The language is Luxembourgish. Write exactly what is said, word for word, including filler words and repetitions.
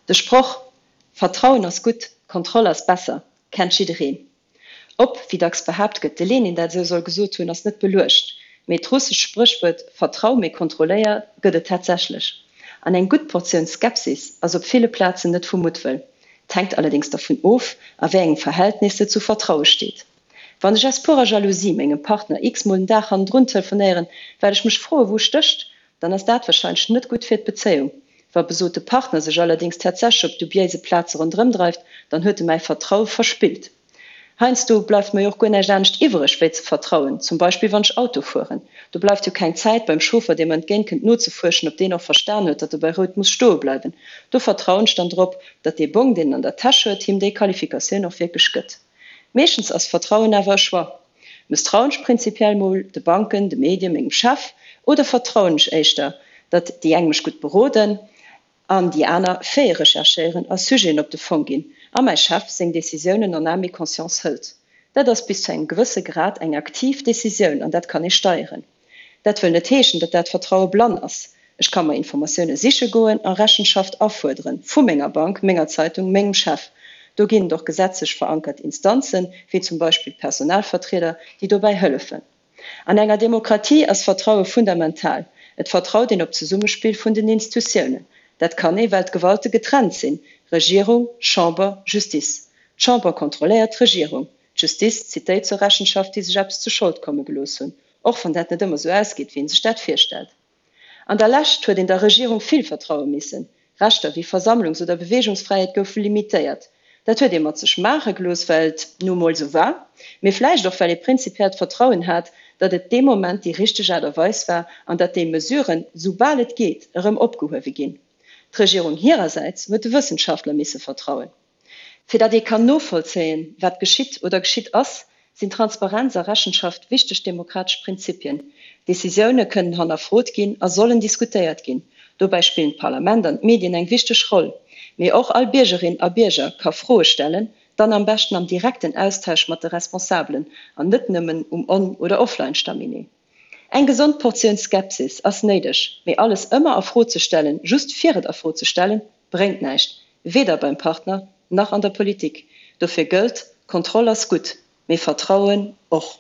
De Sproch Vertrauen ass gutt, Kontroll ass besser kennt jiddereen. Ob, wéi dacks behaapt gëtt, de Lenin dat esou soll gesot hunn, ass net beluecht. Mee d'russescht Spréchwuert Vertrau, mee kontrolléier gëtt et tatsächlech. An eng gutt Portioun Skepsis ass op ville Plazen net vu Muttwëll. 't hänkt allerdéngs dervun of, a wéi engem Verhältnis se zu Vertraue steet. Wann ech aus purer Jalousie mengem Partner x-mol den Dag hannendrun telefonéieren, well ech mech froe wou e stécht, dann ass dat warscheinlech net gutt fir d'Bezéiung. Wa besote Partner sech allerdéngs tatsächlech op dubiéise Plaze ronderëm dreift, dann huet e mäi Vertraue verspillt. Heiansdo bleift mer jo och guer näischt anescht iwwereg wéi ze vertrauen, zum Beispill wann ech Auto fueren. Do bleift jo keng Zäit beim Chauffer, dee mer entgéint kënnt, nozefuerschen, ob deen och verstan huet, datt e bei Rout muss stoe bleiwen. Do vertrauen ech dann drop, datt dee Bong, deen en an der Täsch huet, him déi Qualifikatioun och wierklech gëtt. Meeschtens ass Vertrauen awer e Choix. Mësstrauen ech prinzipiell mol de Banken, de Medien, mengem Chef oder vertrauen ech éischter, datt déi eng mech gutt beroden an déi aner fair recherchéieren a Sujeten op de Fong ginn a mäi Chef seng Decisiounen en âme et conscience hëlt? Dat ass bis zu engem gewësse Grad eng aktiv Decisioun an dat kann ee steieren. Dat wëll net heeschen, datt dat Vertraue blann ass. Ech ka mer Informatioune siche goen a Rechenschaft afuerderen, vu menger Bank, menger Zeitung, mengem Chef. Do ginn et och gesetzlech verankert Instanzen, wéi zum Beispill d'Personalvertrieder, déi dobäi hëllefen. An enger Demokratie ass Vertraue fundamental. Et vertraut een op d'Zesummespill vun den Instutiounen. Dat kann ee well d'Gewalte getrennt sinn, Regierung, Chamber, Justiz. D'Chamber kontrolléiert d'Regierung, d'Justiz zitt déi zur Rechenschaft, déi sech eppes zu Schold komme gelooss hunn, och wann dat net ëmmer sou ausgeet, wéi ee sech dat virstellt. An der Lescht huet een der Regierung vill vertraue missen. Rechter wéi Versammlungs oder Beweegungsfräiheet goufe limitéiert. Dat huet ee mat sech maache gelooss, well et nu mol sou war, mee vläicht och well ee prinzipiell d'Vertrauen hat, datt et dee Moment déi richteg Aart a Weis war an datt déi Mesuren, soubal et geet, erëm opgehuewe ginn. D'Regierung hirersäits huet de Wëssenschaftler misse vertrauen. Fir datt ee kann novollzéien, wat geschitt oder geschitt ass, sinn Transparenz a Rechenschaft wichteg demokratesch Prinzipien. Decisioune kënnen hannerfrot ginn a sollen diskutéiert ginn. Dobäi spillen d'Parlament an d'Medien eng wichteg Roll. Mee och all Biergerin a Bierger ka Froe stellen, dann am beschten am direkten Austausch mat de Responsabelen an net nëmmen um On oder Offline-Staminee. Eng gesond Portioun Skepsis ass néideg, mee alles ëmmer a Fro ze stellen, just fir et a Fro ze stellen, bréngt näischt, weder beim Partner nach an der Politik. Dofir gëllt, Kontroll ass gutt, mee Vertrauen och.